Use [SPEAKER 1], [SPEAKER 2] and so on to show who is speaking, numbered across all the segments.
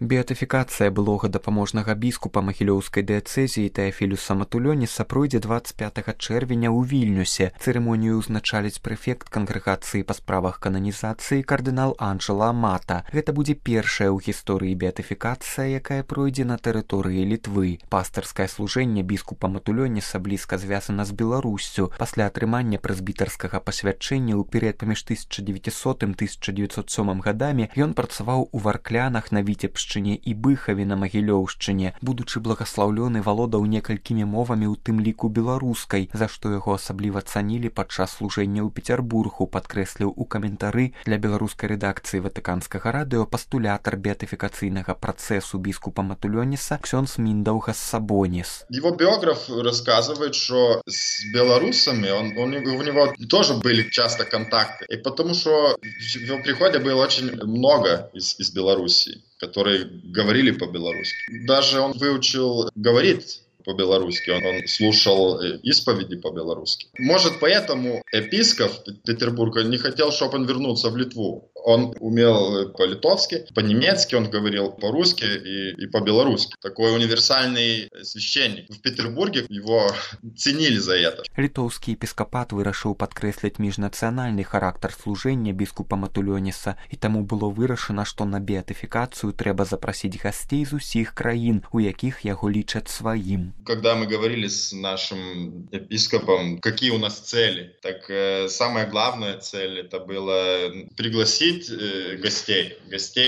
[SPEAKER 1] Беатыфікацыя былога дапаможнага біскупа магілёўскай дыяцэзіі Тэафілюса Матулёніса пройдзе 25 чэрвеня ў Вільнюсе. Цырымонію ўзначаліць прэфект кангрэгацыі па справах кананізацыі кардынал Анджэла Амата. Гэта будзе першая ў гісторыі беатыфікацыя, якая пройдзе на тэрыторыі Літвы. Пастырскае служэнне біскупа Матулёніса блізка звязана з Беларуссю. Пасля атрымання прэзбітарскага пасвячэння ў перыяд паміж 1900-1907 гадамі ён працаваў у Варклянах, на Віцебшчыне і Быхаве на Магілёўшчыне. Будучы благаслаўлёны, валодаў некалькімі мовамі, у тым ліку беларускай, за што яго асабліва цанілі падчас служэння ў Пецярбургу, падкрэсліў у каментары для беларускай рэдакцыі Ватыканскага радыё пастулятар беатыфікацыйнага працэсу біскупа Матулёніса ксёндз Миндаугас Сабонис.
[SPEAKER 2] Его биограф рассказывает, что с белорусами у него тоже были часто контакты, и потому что в его приходе было очень много из Белоруссии, которые говорили по-белорусски. Даже он выучил говорить по-белорусски, он слушал исповеди по-белорусски. Может, поэтому епископ Петербурга не хотел, чтобы он вернулся в Литву. Он умел по-литовски, по-немецки, он говорил по-русски и по-белорусски. Такой универсальный священник. В Петербурге его ценили за это.
[SPEAKER 1] Літоўскі епіскапат вырашыў падкрэсліць міжнацыянальны характар служэння біскупа Матулёніса, і таму было вырашана, што на беатыфікацыю трэба запрасіць гасцей з усіх краін, у якіх яго лічаць сваім.
[SPEAKER 2] Когда мы говорили с нашим епископом, какие у нас цели, так самая главная цель это было пригласить гостей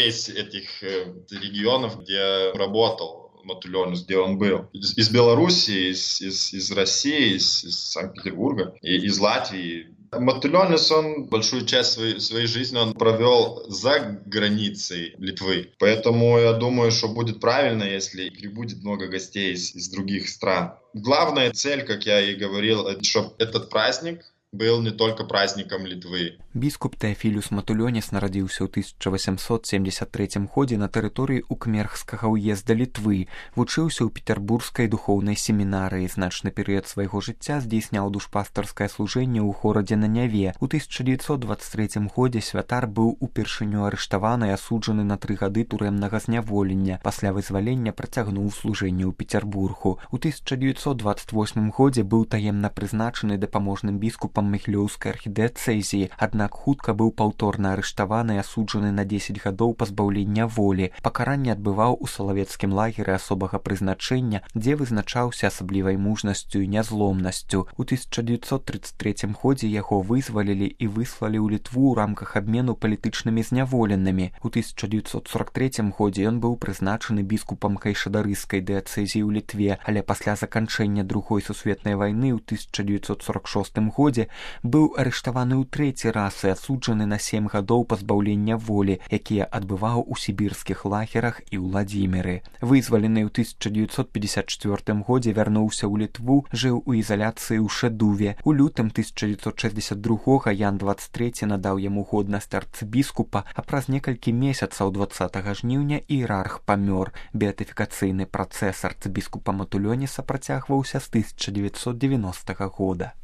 [SPEAKER 2] из этих регионов, где работал Матулёнис, где он был. Из Белоруссии, из России, из Санкт-Петербурга, и из Латвии. Матулёнис, он большую часть своей жизни он провел за границей Литвы. Поэтому я думаю, что будет правильно, если прибудет много гостей из других стран. Главная цель, как я и говорил, чтобы этот праздник был не только праздником Литвы.
[SPEAKER 1] Біскуп Тэафілюс Матулёніс нарадзіўся ў 1873 годзе на тэрыторыі Укмерхскага ўезда Літвы. Вучыўся ў петербургскай духоўнай семінарыі. Значны перыяд свайго жыцця здзейсняў душпастарскае служэнне ў горадзе на Няве. У 1923 годзе святар быў упершыню арыштаваны і асуджаны на 3 гады турэмнага зняволення. Пасля вызвалення працягнуў служэнне ў Петербургу. У 1928 годзе быў таемна прызначаны дапаможным біскупам Магілёўскай архідыяцэзіі, аднак хутка быў паўторна арыштаваны і асуджаны на 10 гадоў пазбаўлення волі. Пакаранне адбываў у салавецкім лагеры асобага прызначэння, дзе вызначаўся асаблівай мужнасцю і нязломнасцю. У 1933 годзе яго вызвалілі і выслалі ў Літву ў рамках абмену палітычнымі зняволенымі. У 1943 годзе ён быў прызначаны біскупам кайшадарыскай дыяцэзіі ў Літве, але пасля заканчэння Другой сусветнай вайны ў 1946 годзе быў арыштаваны ў 3-й раз і асуджаны на 7 гадоў пазбаўлення волі, якія адбываў у сібірскіх лагерах і Владзіміры. Вызвалены ў 1954 годзе вярнуўся ў Літву, жыў у ізаляцыі ў Шэдуве. У лютым 1962 Ян 23 надаў яму годнасць арцыбіскупа, а праз некалькі месяцаў 20 жніўня іерарх памёр. Беатыфікацыйны працэс арцыбіскупа Матулёніса працягваўся з 1990 года.